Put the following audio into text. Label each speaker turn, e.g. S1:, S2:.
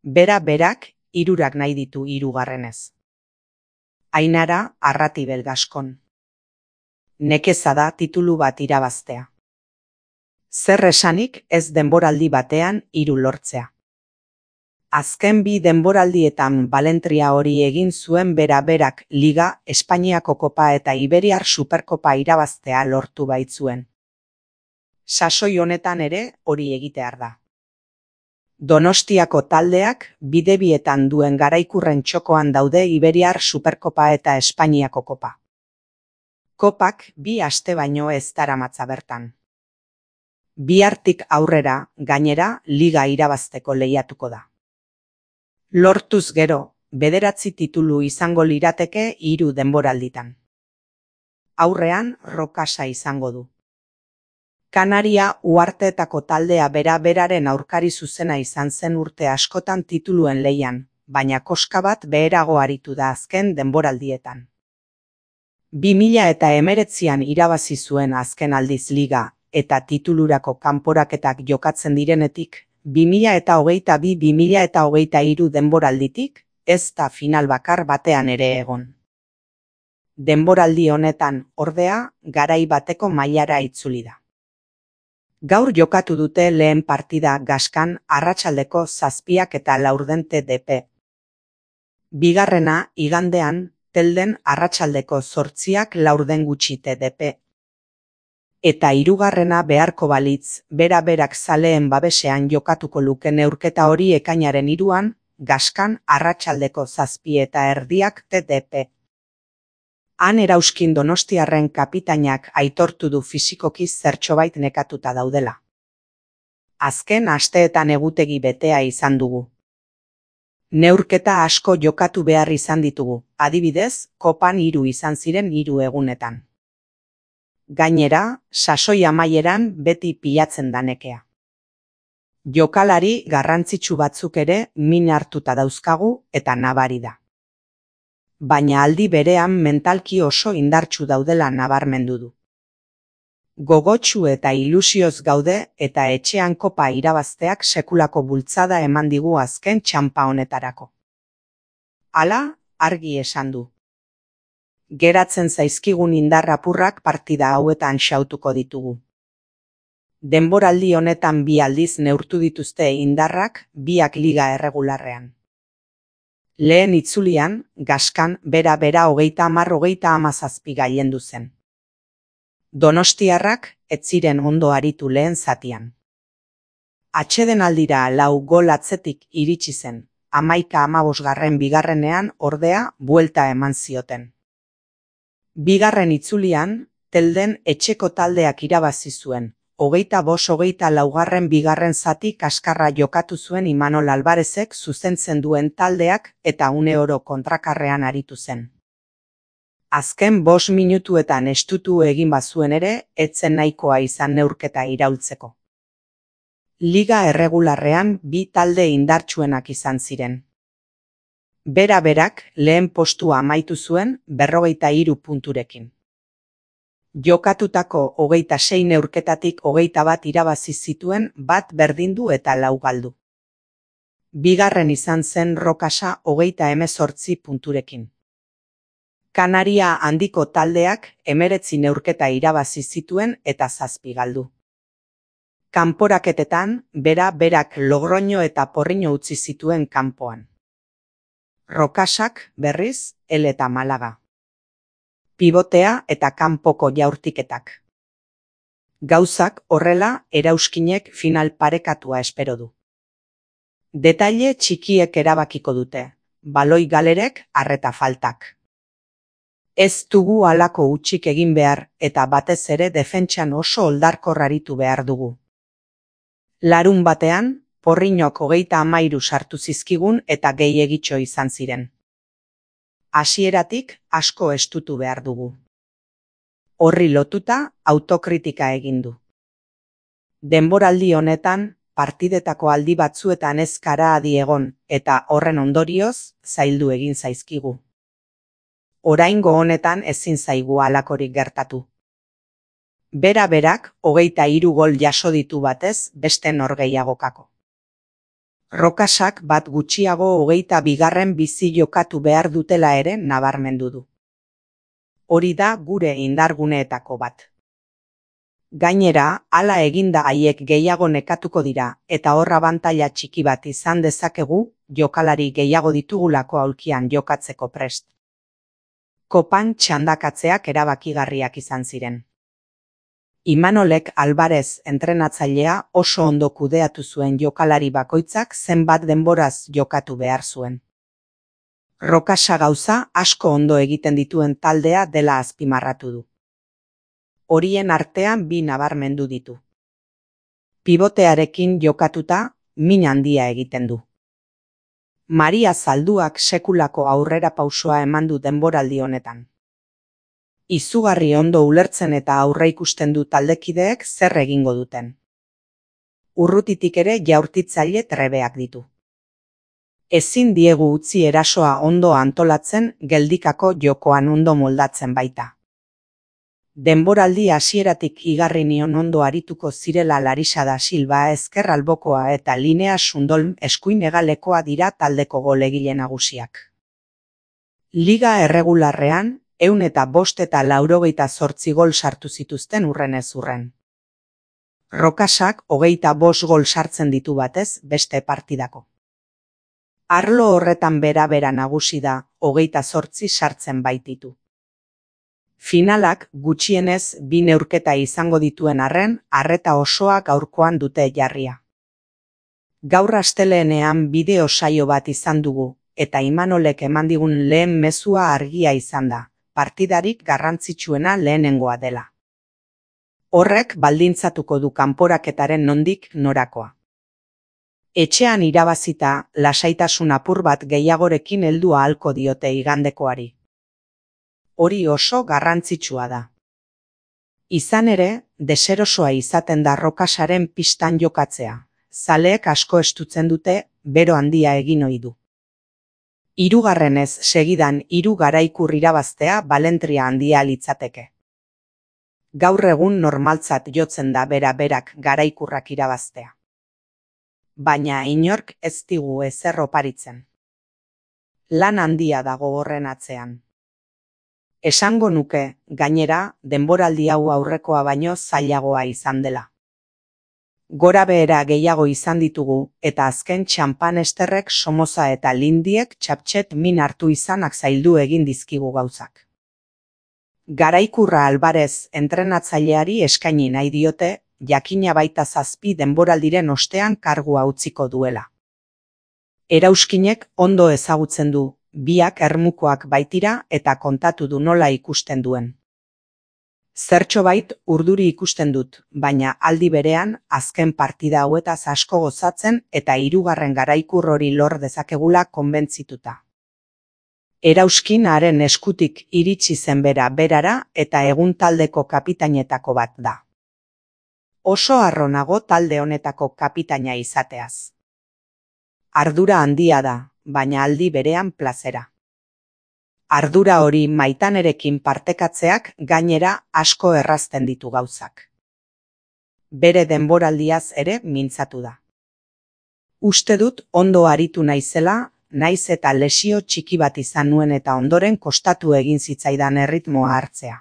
S1: Bera berak 3 nahi ditu 3. Ainara Arratibel Gaskon. Nekeza da titulu bat irabaztea. Zer esanik ez denboraldi batean 3 lortzea. Azken 2 denboraldietan balentria hori egin zuen bera berak Liga, Espainiako Kopa eta Iberiar Superkopa irabaztea lortu baitzuen. Sasoi honetan ere hori egitear da. Donostiako taldeak bidebietan duen garaikurren txokoan daude Iberiar Superkopa eta Espainiako Kopa. Kopak 2 aste baino ez daramatza bertan. Bihartik aurrera, gainera, Liga irabazteko lehiatuko da. Lortuz gero, 9 titulu izango lirateke 3 denboralditan. Aurrean Rokasa izango du. Kanaria uharteetako taldea bera beraren aurkari zuzena izan zen urte askotan tituluen lehian, baina koska bat beherago aritu da azken denboraldietan. 2019an irabazi zuen azken aldiz Liga eta titulurako kanporaketak jokatzen direnetik, 2022-2023 denboralditik, ez da final bakar batean ere egon. Denboraldi honetan, ordea, garai bateko mailara itzuli da. Gaur jokatu dute lehen partida Gaskan arratsaldeko 7:04 DP. Bigarrena igandean Telden arratsaldeko 8:04 DP. Eta 3. beharko balitz, bera berak zaleen babesean jokatuko luke neurketa hori ekainaren 3an, Gaskan arratsaldeko 7:30 DP. Han erauskin donostiarren kapitainak aitortu du fisikoki zertxobait nekatuta daudela. Azken asteetan egutegi betea izan dugu. Neurketa asko jokatu behar izan ditugu, adibidez, Kopan 3 izan ziren 3 egunetan. Gainera, sasoi amaieran beti pilatzen da nekea. Jokalari garrantzitsu batzuk ere min hartuta dauzkagu eta nabari da. Baina aldi berean mentalki oso indartsu daudela nabarmendu du. Gogotsu eta ilusioz gaude eta etxean kopa irabazteak sekulako bultzada eman digu azken txanpa honetarako. Hala, argi esan du. Geratzen zaizkigun indar apurrak partida hauetan xautuko ditugu. Denboraldi honetan 2 aldiz neurtu dituzte indarrak 2 Liga erregularrean. Lehen itzulian, Gaskan bera 30-17 gailendu zen. Donostiarrak ez ziren ondo aritu lehen zatian. Atsedenaldira 4 gol atzetik iritsi zen, 11-15 bigarrenean ordea buelta eman zioten. Bigarren itzulian, Telden etxeko taldeak irabazi zuen, 25-24 bigarren zati kaskarra jokatu zuen Imanol Alvarezek zuzentzen duen taldeak eta uneoro kontrakarrean aritu zen. Azken 5 minutuetan estutu egin bazuen ere, etzen nahikoa izan neurketa iraultzeko. Liga erregularrean 2 talde indartsuenak izan ziren. Bera berak lehen postua amaitu zuen 43 punturekin. Jokatutako 26 neurketatik 21 irabazi zituen, 1 berdindu eta 4 galdu. Bigarren izan zen Rokasa 18 punturekin. Kanaria handiko taldeak 19 neurketa irabazi zituen eta 7 galdu. Kanporaketetan, bera berak Logroño eta Porriño utzi zituen kanpoan. Rokasak, berriz, El eta Malaga. Pibotea eta kanpoko jaurtiketak. Gauzak horrela erauskinek final parekatua espero du. Detaile txikiek erabakiko dute, baloi galerek arreta faltak. Ez dugu halako hutsik egin behar eta batez ere defentsan oso oldarkor aritu behar dugu. Larun batean, Porriñok 33 sartu zizkigun eta gehiegitxo izan ziren. Hasieratik asko estutu behar dugu. Horri lotuta autokritika egin du. Denboraldi honetan, partidetako aldi batzuetan ez kara adi egon eta horren ondorioz zaildu egin zaizkigu. Oraingo honetan ezin zaigu halakorik gertatu. Bera berak 23 gol jaso ditu batez beste norgehiagokako. Rokasak bat gutxiago 22. bizi jokatu behar dutela ere nabarmendu du. Hori da gure indarguneetako bat. Gainera, hala eginda haiek gehiago nekatuko dira, eta hor abantaila txiki bat izan dezakegu, jokalari gehiago ditugulako aulkian jokatzeko prest. Kopan txandakatzeak erabakigarriak izan ziren. Imanolek Alvarez entrenatzailea oso ondo kudeatu zuen jokalari bakoitzak zenbat denboraz jokatu behar zuen. Rokasa gauza asko ondo egiten dituen taldea dela azpimarratu du. Horien artean bi nabarmendu ditu. Pibotearekin jokatuta, min handia egiten du. Maria Zalduak sekulako aurrera pausoa eman du denboraldi honetan. Izugarri ondo ulertzen eta aurreikusten du taldekideek zer egingo duten. Urrutitik ere jaurtitzaile trebeak ditu. Ezin diegu utzi erasoa ondo antolatzen, geldikako jokoan ondo moldatzen baita. Denboraldi hasieratik igarri nion ondo arituko zirela Larisa da Silva ezker albokoa eta Linea Sundolm eskuin hegalekoa dira taldeko golegile nagusiak. Liga erregularrean, 158 gol sartu zituzten urrenez urren. Rokasak 25 gol sartzen ditu batez beste partidako. Arlo horretan bera nagusi da, 28 sartzen baititu. Finalak gutxienez 2 neurketa izango dituen arren, arreta osoa gaurkoan dute jarria. Gaur astelehenean bideo saio bat izan dugu, eta Imanolek eman digun lehen mezua argia izan da, partidarik garrantzitsuena lehenengoa dela. Horrek baldintzatuko du kanporaketaren nondik norakoa. Etxean irabazita, lasaitasun apur bat gehiagorekin heldu ahalko diote igandekoari. Hori oso garrantzitsua da. Izan ere, deserosoa izaten da Rokasaren pistan jokatzea. Zaleek asko estutzen dute, bero handia egin ohi du. 3. segidan 3 garaikur irabaztea balentria handia litzateke. Gaur egun normaltzat jotzen da berak garaikurrak irabaztea. Baina inork ez digu ezer oparitzen. Lan handia dago horren atzean. Esango nuke, gainera, denboraldi hau aurrekoa baino zailagoa izan dela. Gora behera gehiago izan ditugu, eta azken txampan esterrek Somoza eta Lindiek txaptxet min hartu izanak zaildu egin dizkigu gauzak. Garaikurra Alvarez entrenatzaileari eskaini nahi diote, jakina baita 7 denboraldiren ostean kargua utziko duela. Erauskinek ondo ezagutzen du, biak ermukoak baitira eta kontatu du nola ikusten duen. Zertxobait urduri ikusten dut, baina aldi berean azken partida hauetaz asko gozatzen eta 3. garaikur hori lor dezakegula konbentzituta. Erauskin haren eskutik iritsi zen berara eta egun taldeko kapitainetako bat da. Oso harro nago talde honetako kapitaina izateaz. Ardura handia da, baina aldi berean plazera. Ardura hori Maitanerekin partekatzeak gainera asko errazten ditu gauzak. Bere denboraldiaz ere mintzatu da. Uste dut ondo aritu naizela, naiz eta lesio txiki bat izan nuen eta ondoren kostatu egin zitzaidan erritmoa hartzea.